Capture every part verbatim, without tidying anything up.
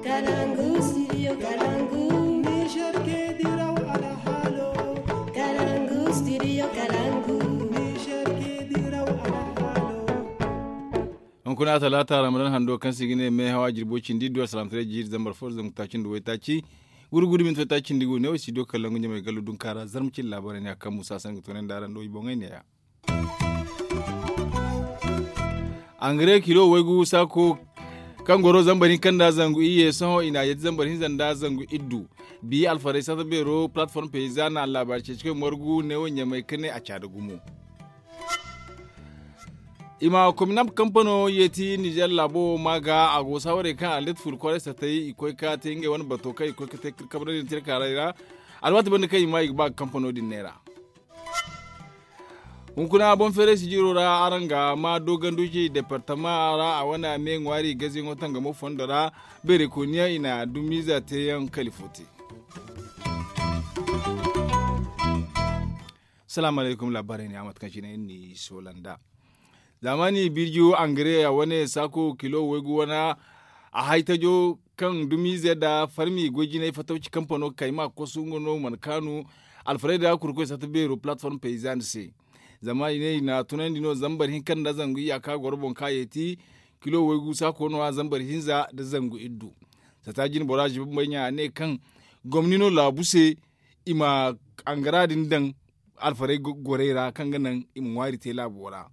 Kalangu studio kalangu. Niger ke diraw alhalo. Kalangu studio kalangu. Niger ke diraw alhalo. Hunkuna talata ramadan hando kaŋ se i ga ne me hawa jirbo cindi duwar salamtaray jiiri zambar fo zambar taaci nda waytaaci. Guri guri minti waytaaci nda i go ne wo studio kalangu ɲamay gallu dunkaara zarma cin laabaray ne a kaŋ musa sanni ga toonay nda araŋ do i boŋey ne ya. Angare kilo waygu saako kaŋ goro zambar hinka nda zangu iyye sohõ i na a yeeti zambar hinza nda zangu iddu. Bi alfarey sata beero palatform peyza na allaabaari ceeci koy margu neewo ɲamay ka ne a caada gumo. I ma kominab kampano yeeti nizer laabo wo maa ga a go saawarey kaŋ a leti furu kwaray satay i koy ka te ngey wane bato kaŋ i koy ka te kabradiyaŋ tirkaaray ra. Alwaati banda kaŋ i maa i ga ba ga kampano din neera. Hunkuna boŋ feeray sijiro ra araŋ ga maa dooganduji departama ra a wane me ŋwaari gaziyaŋo tangamo fondo ra. Beeray kooniyaŋ i na dumiiza teeyaŋ kali fo te. Salaamu alaykum laabaarey ne a mate kaŋ cine iri n'i soola nd'a. Zaamaani birjiyo angare a wane saako kilo waygu wana a hay tajo kaŋ dumiize nda farmi goy jinay fatawci kampano kayma kosu nga no mana kaanu. Alfarayda kurkoy sata beero palatform payzan se. Zama i ne i na tunandi no zambar hinka nda zangu iyaka goro boŋ ka yeeti kilo waygu saako no a zambar hinza nda zangu iddu. Sata jine bora ziba bambay ɲa a ne kaŋ gomni no laabu se i ma angara din daŋ alfarey gorey ra kaŋ ga naŋ i ma ŋwaari te laabo ra.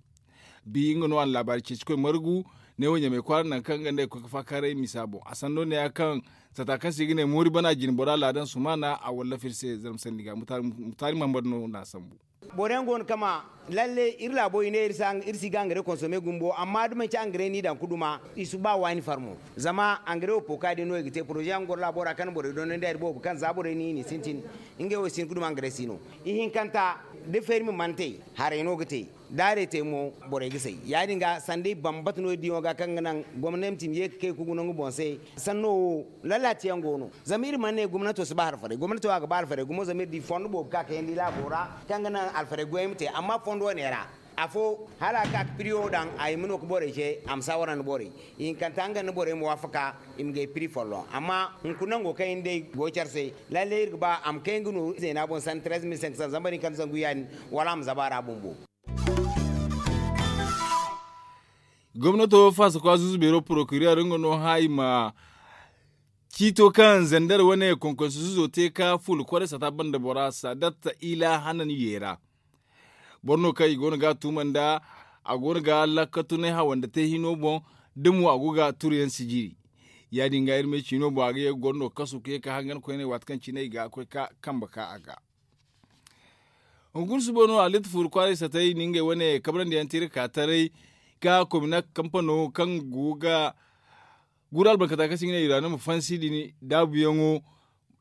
Bi nga no a na laabaari ceeci koy margu ne wo ɲamay kwaara naŋ kaŋ nga nda ay koy ga faakaaray misa boŋ a sanno ne ya kaŋ sata kaŋ se i ga ne moori bana jine bora laadan sumaana a wallaf iri se zarma sanni ga mutaari mahamad no na a sambu. Boro yaŋ go no kama lalle iri laabo i ne iri si ga angare konsome gumbo amma da manci angare no i daŋ ga duma i si ba waani farmo. Zama angare wo pooka din no i ga te poroze yaŋ goro laabo ra kaŋ borey dondon da iri boobo kaŋ za borey no i n'i sintin. Ngey wo i si hin ga duma angare si no. Ihinkanta da fermi mana te haray no ga te. Da haray te mo borey ga say ya- din ga sanda i bambata no iri diyaŋo ga kaŋ ga naŋ gomnati ma ye ga kay ga guna nga boŋ se. Sanno wo lalaati yaŋ go no. Zama iri mana ne gomnato si ba alfarey gomnato a ga ba alfarey gumo zama iri di fondo boobo ka kayandi laabo ra kaŋ ga naŋ alfarey goyey ma te amma fondo wane ra afo hala a ga ka ga piriyo daŋ a hima no ga borey se a ma saawara nda borey. Ihinkanta nga nda borey ma waafaka i ma gay piri folloŋ amma hunkuna nango kaŋ iri day go care se. Lalle iri ga ba a ma kay nga no zeena boŋ sanda treize mille cinq cents zama bari kaŋ zangu ya- din wala a ma zaba a ra bumbo. Gomnato faasa kwa zuzu beero porokiriyar nga no hã i ma ciito kaŋ zandar wane konkonso zuzo te ka fuula kwaray sata banda bora sadatta ila hanan yeera. Boro no kaŋ i go no ga a tuuma nda a go no ga lakkatunay hawanda te hino boŋ da mo a go ga turu yaŋ sijiri. Ya- din ga iri me ciino boŋ a ga ye ga goro no kasu ka ye ka hangan koyney waati kaŋ cine i ga koy ka kambe ka a ga. Hunkuna suba no a litta fuuru kwaaray satay na ngey wane kabrandi yaŋ te iri ka taray ka komina kampano kaŋ go ga guru albarkata kaŋ se i ga ne iraano ma fansi din daabuyaŋo.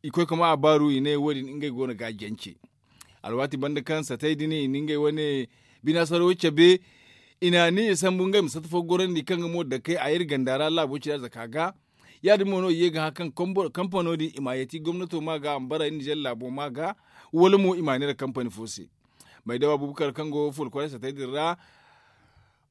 I koy ka ma a baaru i ne wo- din ngey go no ga a jance. Alwaati banda kaŋ satay din i na ngey wane binaasaro cabe i na ni i sambu ngey ma satta fo gorandi kaŋ ga mo dakey a iri ganda ra laabo cira zaka ga. Ya- din mo no i ye ga hã kaŋ kampano din i ma a yeeti gomnato ma ga a ma bara iri nizer laabo ma ga wala mo i ma a neera kampani fo se. Maydawa bubukar kaŋ go fuula kwaray satay din ra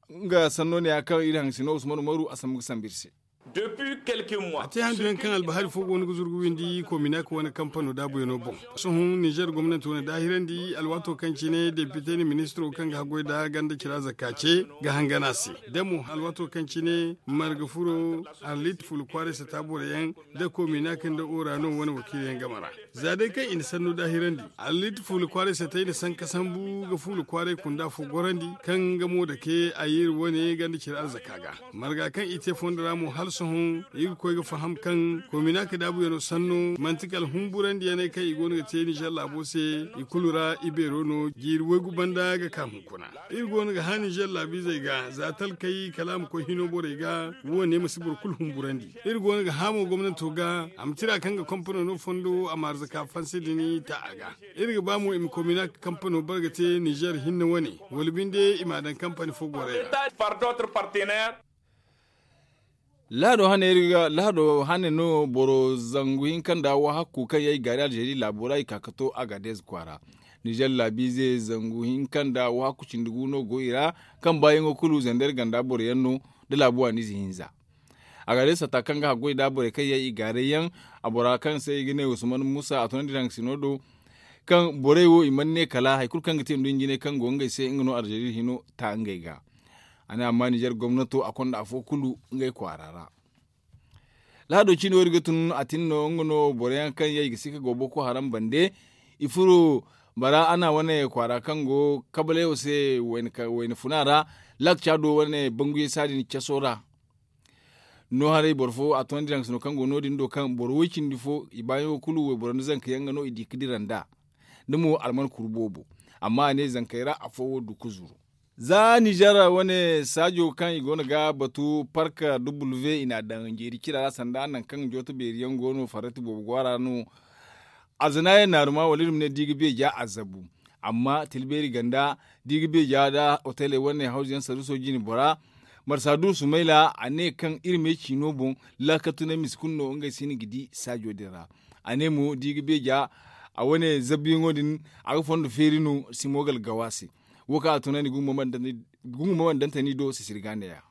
nga sanno ne ya kaŋ iri haŋ sino usman umaru a sambu ga sambu iri se. A te handu yaŋ kaŋ albahari fo go no ga zuru ga windi kominak wane kampano daabuyaŋo boŋ. Sohõ nizer gomnanti wane daahirandi alwaato kaŋ cine depite nda ministiro kaŋ ga haggoy nda ganda cira zakka ce ga hangan a se. Da mo alwaato kaŋ cine marga furo arlit fuula kwaaray sata boro yaŋ nda kominak nda orano wane wakiila yaŋ game ra. Za day kaŋ i na sannu daahirandi, allit fuula kwaaray satay na sanka sambu ga fuula kwaaray kunda fo gorandi kaŋ nga mo dake a ye iri wane ganda cire arzaka ga. Marga kaŋ i te fondo ra mo hala sohõ iri ga koy ga faham kaŋ kominak daabuyaŋo sanno manti kala humburandiyaney kaŋ i go no ga te nizer laabo se. I kulu ra ibeero no jiiri waygu banda ga ka hunkuna. Iri go no ga hã nizer laabiizey ga za talkey kala a ma koy hino borey ga. Wo- ne ma si boro kulu humburandi. Iri go no ga hã mo gomnanto ga a ma tira kaŋ ga kampano no fondo a ma arzaka fansi din ta a ga. Iri ga ba mo i ma komina kampano bare ga te nizer hinne wane wala binde i m'a daŋ kampani fo gorey ra. Lahado hane no boro zangu hinka nda wahakku kaŋ yaŋ i gaari alzeeri laabo ra i ka ga to agadez kwaara. Nizer laabiize zangu hinka nda wahakku cindi gu no go i ra. Kaŋ baayaŋo kulu zander ganda boro yaŋ no nda laabu waaniize hinza. A ga day sata kaŋ ga haggoy nda borey kaŋ yaŋ i gaaray yaŋ. A bora kaŋ se i ga ne usman musa a tunandi daŋ sino do kaŋ borey wo i mana ne kala hari kulu kaŋ ga te nduɲɲinay kaŋ go ngey se nga no alzeeri hino ta ngey ga. A ne amma nizer gomnato a konda afo kulu ngey kwaara ra. Lahado ciine wo iri ga tun a tin no nga no boro yaŋ kaŋ yaŋ i ga si ka go boko haram bande. I furo bara a na wane kwaara kaŋ go kabalay wo se wayna funa ra. Lak caado wane banguyey saadin caso ra. No haray boro fo a toonandi daŋ sino kaŋ go no- din do kaŋ boro way cindi fo i baayaŋo kulu wayboro nda zanka yaŋ ga no i di ga dira nd'a. Da mo alman kuru boobo. Amma a ne zankey ra afo wo du ga zuru. Za nizer wane saajo kaŋ i go no ga batu park w i n'a daŋ jeeri cira ra sanda nangu kaŋ jooto beeri yaŋ go no farrati boobo go a ra no. Alzana yaŋ naaruma wala iri ma ne da i ga beeja a zabu. Amma tilbeeri ganda da i ga beeja nda hoteley wane hawzu yaŋ saruuso jine bora. Marsa du sumayla a ne kaŋ iri me ciino boŋ. Laakatunay mise kulu no ngey si no ga di saajo din ra. A ne mo da i ga beeja a wane zabuyaŋo din a ga fondo feeri no simogal gawa se. Wo kaŋ a tunandi gungu ma bandantani do sisiri ga neeya.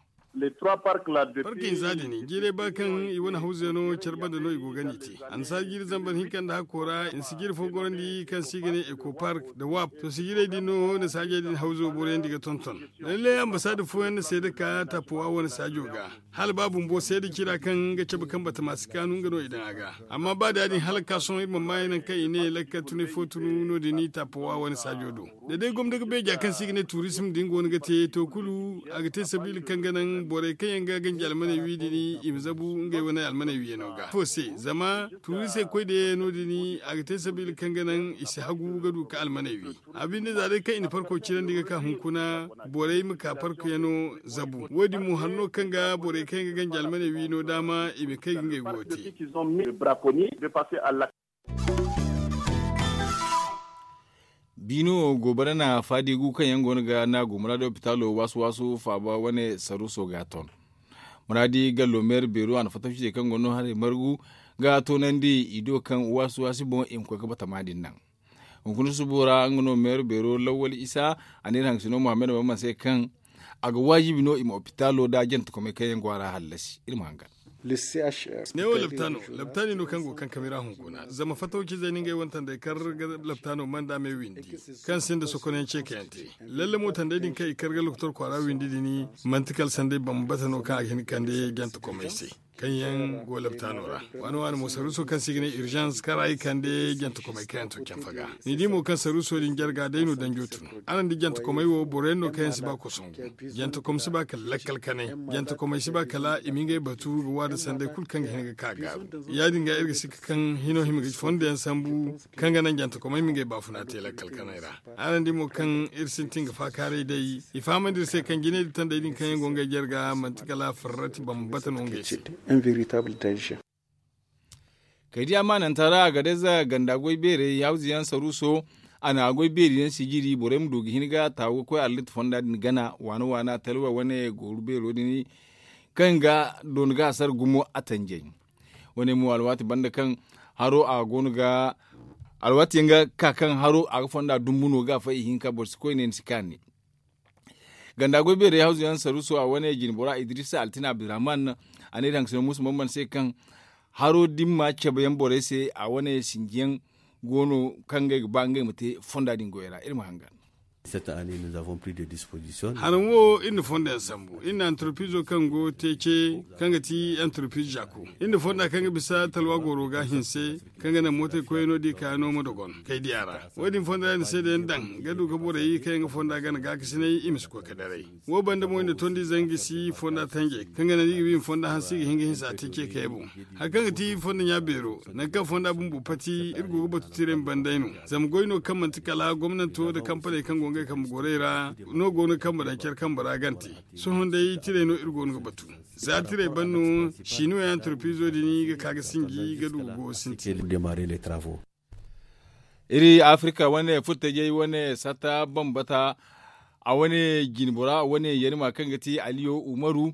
Park hinza din jiiray ba kaŋ i wane hawzey no care banda no i go ga ni te. Annasaara jiiri zambar hinka nda hakko ra i na sijiri fo gorandi kaŋ se i ga ne eko park nda wap to sijirey din no na saajey din hawzo borayandi ga tonton. Lallay ambasaada fooyaŋ na seeda ka taapowa wane saajo ga. Hala ba bumbo seeda cira kaŋ ga cabe kaŋ batama si kaanu nga no i daŋ a ga. Amma ba da- din hala ga ka sohõ iri mana maayaŋ nangu kaŋ i ne lakkal tunay fo tunu no- din i taapowa wane saajo do. Da day gomna ga beeja kaŋ se i ga ne tuurisim din go no ga te to kulu a ga te sabiila kaŋ ga naŋ borey kaŋ yaŋ ga ganji almaney wi din i ma zabu ngey wane almaney wiyaŋo ga ifo se zama tuuriisey koy da yaŋ no- din a ga te sabiila kaŋ ga naŋ i si hagu ga du ka almaney wi. A binde za day kaŋ i na parko cirandi ga ka hunkuna borey ma ka parkoyaŋo zabu wo- din mo hanno kaŋ ga borey kaŋ yaŋ ga ganji almaney wi no daama i ma kay ga ngey go te. Biino goobara na faadi gu kaŋ yaŋ go no ga naagu muraadi lopitaalo waasu waasu faaba wane saruuso ga ton. Muraadi gallo meera beero a na fattaw ciitey kaŋ go no haray margu ga toonandi i do kaŋ waasu waasi boŋ i ma koy ga batama din naŋ. Hunkuna subo ra nga no meera beero lawwal isa a ne iri hangasino muhammad bamman se kaŋ a ga waajibi no i ma lopitaalo nda jantakomey kaŋ yaŋ go a ra hallasi iri ma hangan. Neewo laptaano laptaani no kaŋ go kankami ra hunkuna zama fatawcizey na ngey wane tanday kar ga laptaano manda me windi kaŋ sinda sokonayaŋ ceekayaŋ te. Lalle mo tanday din kaŋ i kar ga lokotor kwaara windi din manti kala sanday bambata no kaŋ a ga hin ga kande jantakomey se kaŋ yaŋ go laptaano ra. Waani waani mo saruuso kaŋ se i ga ne urzans kara i kande jantakomey kaŋ yaŋ to canfa ga. Ni di mo kaŋ saruuso din jarga day no danjo tun. Araŋ di jantakomey wo boro yaŋ no kaŋ yaŋ si ba kosongu. Jantakom si ba kala lakkal kanay. Jantakomey si ba kala i ma ngey batu ga waada sanday kulu kaŋ ga hin ga ka gaaru. Ya- din ga iri ga sikka kaŋ hino hima ga fondo yaŋ sambu kaŋ ga naŋ jantakomey ma ngey baafuna te lakkal kanay ra. Araŋ di mo kaŋ iri sintin ga faakaaray day i fahamandi iri se kaŋ jinay da tanday din kaŋ yaŋ go ngey jarga manti kala farrati bambata no ngey se. Kay diya maananta ra a ga day za ganda goy beerey hawzu yaŋ saruuso. A na goy beeri yaŋ sijiri borey ma du ga hin ga taawu ga koy allit fonda din gana waana waana talwa wane gooru beero din kaŋ ga doona ga a sara gumo a tanjay. Wane mo alwaati banda kaŋ haro a go no ga alwaati yaŋ ga ka kaŋ haro a ga fonda dumbu no ga a fay ihinka boro si koy ne ni si kaani. Ganda goy beerey hawzu yaŋ saruuso a wane jinbora idrisa altina abdurrahman a ne iri hangasino muusa bamban se kaŋ haro dimma cabe yaŋ borey se a wane sinji yaŋ go no kaŋ ngey ga ba ngey ma te fonda din goyey ra iri ma hangan. Haraŋ wo iri na fondo yaŋ sambu iri na antarpizo kaŋ go te ce kaŋ ga ti antarpiz jako iri na fonda kaŋ ga bisa talwa gooro ga hinse kaŋ ga naŋ mootey koyey no da i kaayaŋo ma dogon kay diya ra. Wo- din fonda yaŋ na seedayaŋ daŋ ga du ga borey kaŋ yaŋ ga fonda gana gaakasinay i ma si koy ga daray. Wo banda mo i na tondi zangi si fonda tanjay kaŋ ga naŋ da i ga ba i ma fonda hanse i ga hin ga hinsa te ce kay boŋ. Hari kaŋ ga ti fonda ɲa beero nangu kaŋ fonda bumbo pati iri go ga batu tiray ma banday no. Zama goy no kaŋ manti kala gomnanto nda kampaney kaŋ go ngey kambe gorey ra no go no ga kambe daŋ care kambe ra gante. Sohõ day tiray no iri go no ga batu. Za tiray ban no sinuwa yaŋ antarpizo din ga ka ga sinji ga du ga go sintin. Iri afirika wane furtajey wane sata bambata a wane jinbora wane yarima kaŋ ga ti aliyo umaru.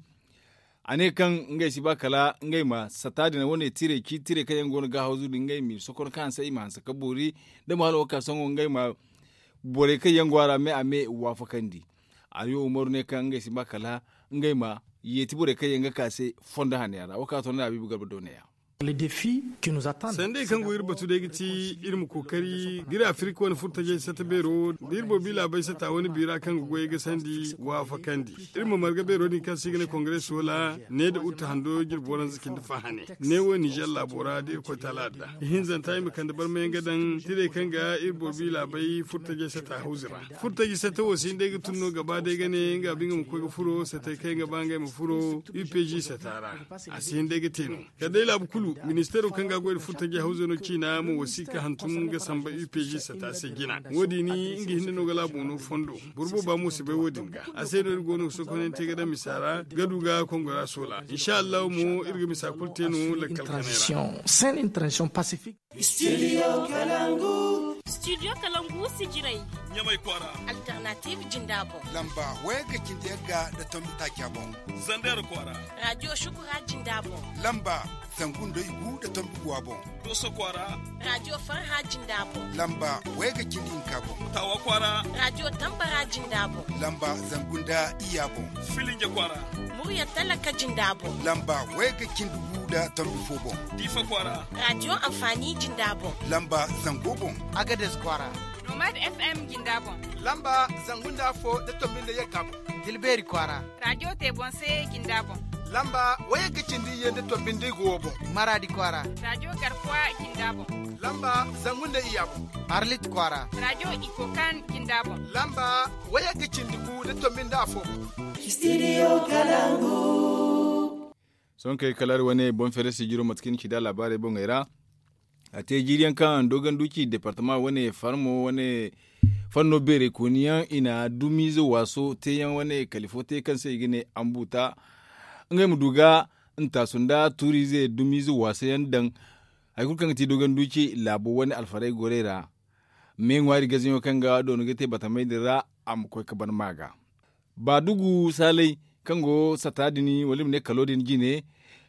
A ne kaŋ ngey si ba kala ngey ma sata din wane tirey ci tirey kaŋ yaŋ go no ga hawzu din ngey ma i sokon kaŋ hanse i ma hanse ka boori da ma hala wo ka sohõ ngey ma borey kaŋ yaŋ go a ra me a me waafakandi. Aliyo umaru ne kaŋ ngey si ba kala ngey ma Yeeti borey kaŋ yaŋ ga ka se fondo hane yaŋ ra wo kaŋ a to no da habiibu garba dooney yaŋ. Sandey kaŋ go iri batu day ga ti iri ma kookari ga iri afirika wane furtajey sata beero da iri boro bi laabey sata wane biira kaŋ ga goyey ga sandi waafakandi. Iri ma marga beero din kaŋ se i ga ne kongare soola ne da utta hando jirbi waranza cindi fa hane. Ne wo ninzeer laabo ra da irkoy taala adda ihinzanta i ma kande barmayaŋ ga daŋ tirey kaŋ ga iri boro bi laabey furtajey sata hawzi ra. Furtaji sata wo si hin day ga tun no gaba day ga ne nga binde nga ma koy ga furo satey kaŋ yaŋ ga ba ngey ma furo upg sata ra. A si hin day ga te no kala day laabu kulu ministeero kaŋ ga a goy nda furtaji hawzo no ciina ma wasiika hantum ga samba upg sata se jina wo- din nga hinne no ga laabu no fondo. Boro booba mo si bay wo- din ga a se no iri go no ga sokonante ga daŋ misa ra ga du ga kongora soola insa allahu mo iri ga misa kulu te no lakkal kanay ra. Studio kalangu. Studio kalangu sijirey. Ɲamay kwaara. Alternative jinda boŋ. Lamba wayagga cindi yagga nda tombi taaca boŋ. Zander kwaara. Radio shukura jinda boŋ. Lamba zangu nda igu nda tombi guwa boŋ. Doso kwaara. Radio farha jinda boŋ. Lamba wayagga cindi hinka boŋ. Tawa kwaara. Radio tambara jinda boŋ. Lamba zangu nda iya boŋ. Filinja kwaara. Murya talaka jinda boŋ. Lamba wayagga cindi gu nda tombi fo boŋ. Diifa kwaara. Radio amfani jinda boŋ. Lamba zango boŋ. Agades kwaara. Nomad fm jinda boŋ. Lamba zangu nda afo nda tombi nda yagga boŋ. Tilbeeri kwaara. Radio tebonse jinda boŋ. Lamba wayagga cindi iyye nda tombi nda igu wo boŋ. Maraadi kwaara. Radio garkuwa jinda boŋ. Lamba zangu nda iyya boŋ. Arlit kwaara. Radio ikokan jinda boŋ. Lamba wayagga cindi gu nda tombi nda afo boŋ. Sohõ kay kala iri wane boŋ feere sijiro mate kaŋ iri ci da laabaarey boŋey ra. A te jiiri yaŋ kaŋ dogon duci departama wane farmo wane fanno beerey kooni yaŋ i na dumiize waaso te yaŋ wane kala ifo te kaŋ se i ga ne ambuta. Ngey ma du ga ntaasu nda tuuriize dumiize waasa yaŋ daŋ. Hari kulu kaŋ ga ti dogon duci laabo wane alfarey gorey ra. Me ŋwaari gaziyaŋo kaŋ ga doona ga te batamey din ra a ma koy ga ban ma ga. Baadugu saalay kaŋ go sata din wala i ma ne kalo din jine.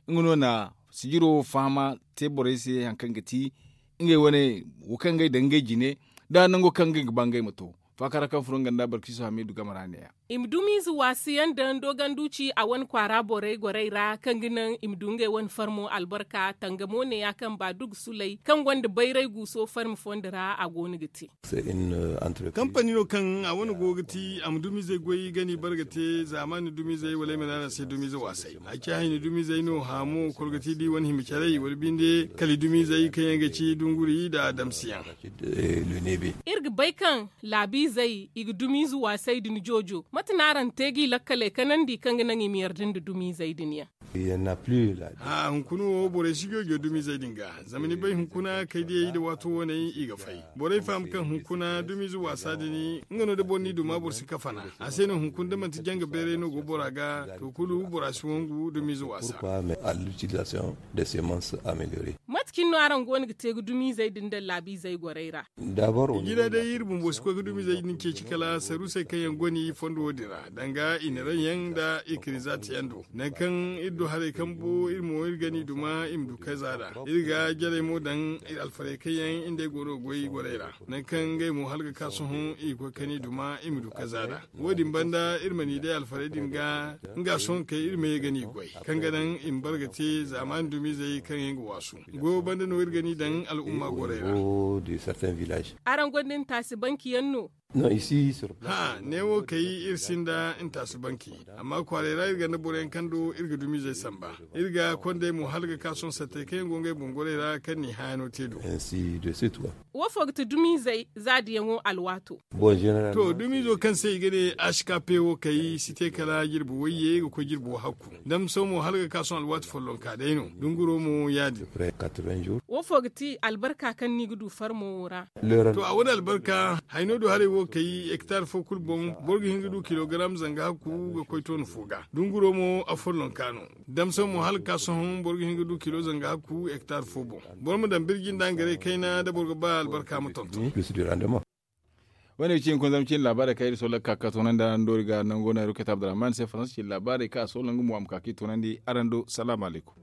Nga no na sijiro fahama te borey se hari kaŋ ga ti ngey wane wo kaŋ ngey daŋ ngey jine nda nango kaŋ ngey ga ba ngey ma to. Faakara kaŋ furo nga nda barkiso hamiidu game ra ne- ya. I ma dumiize waasi yaŋ daŋ dogon duci a wane kwaara borey gorey ra kaŋ ga naŋ i ma du ngey wane farmo albarka tangamo ne- ya kaŋ baadugu sulay kaŋ gonda bayray guuso farmi fondo ra a go no ga te. Kampani no kaŋ a wane go ga ti a ma dumiizey goy gani barga te zaamaani dumiizey wala ay ma ne araŋ se dumiize waasay. Ay ci hayni dumiizey no haamu kol ga ti da i wane hima caray wala binde kala i dumiizey kaŋ yaŋ ga ci dunguri nda adamsiyaŋ. Iri ga bay kaŋ laabiizey i ga dumiize waasay din joojo mate no araŋ te g'i lakkaley kanandi kaŋ ga naŋ i ma yarda nda dumiizey din yaŋ? Hunkuna wo borey si joojo dumiizey din ga. Zama ni bay hunkuna kaydiyey nda waato waney i ga fay. Borey faham kaŋ hunkuna dumiize waasa din nga no da boro n'i duma boro si kafana. A se no hunkuna da manti janga beeray no go bora ga to kulu bora si wangu dumiize waasa. Mate cine no araŋ go no ga te ga dumiizey din daŋ laabiizey gorey ra? Jina day iri bumbo si koy ga dumiizey din ceeci kala saruusey kaŋ yaŋ go no i fondo wo- din ra danga i na raŋ yaŋ nda i kani zaati yaŋ do. Nangu kaŋ iri du haray kambo iri mo iri ga ni duma i ma du kayza da iri ga jarey mo daŋ iri alfarey kaŋ yaŋ iri nd'ey go no ga goy gorey ra. Nangu kaŋ ngey mo hala ga ka sohõ i ga koy kani duma i ma du kayza da. Wo- din banda iri ma ni day alfarey din ga nga sohõ kay iri ma ye ga ni goy kaŋ ga naŋ i ma bare ga te zaamaani dumiizey kaŋ yaŋ ga waasu. Goyo banda no iri ga ni daŋ al'umma gorey ra. Araŋ gonda ntaasi banki yaŋ no? Hã, neewo kay iri sinda ntaasi banki. Amma kwaaray ra iri ganda boroyaŋ kaŋ do iri ga dumiizey samba. Iri ga kondey mo hala ga ka sohõ sattey kaŋ yaŋ go ngey boŋ gorey ra kaŋ n'i hããyaŋo te do. Wo fo ga ti dumiizey zaadiyaŋo alwaato? To dumiizo kaŋ se i ga ne h k p wo kay si te kala jirbi wayye ga koy jirbi wahakku. Damso mo hala ga ka sohõ alwaati follonka day no dunguro mo ya- din. Wo fo ga ti albarka kaŋ no i ga du farmo wo ra? To a wane albarka hayno du haray wo kay hektar fo kulu boŋ boro ga hin ga du kilogaram zanga hakku ga koy toona fo ga. Dunguro mo afollonka no. Damso mo hala ga ka sohõ boro ga hin ga du kilo zanga hakku hektar fo boŋ. Boro ma daŋ birji nda hangaray kayna da boro ga ba albarka ma tonton. Wane ga ci hunkuna zama cine laabaarey kaŋ iri sohõ lakkal ka toonandi araŋ do iri ga nango no ay roketa abdurrahman se faransa cine laabaarey kaŋ a sohõ nangu mo a ma ka ka i toonandi araŋ do salaamu alaykum.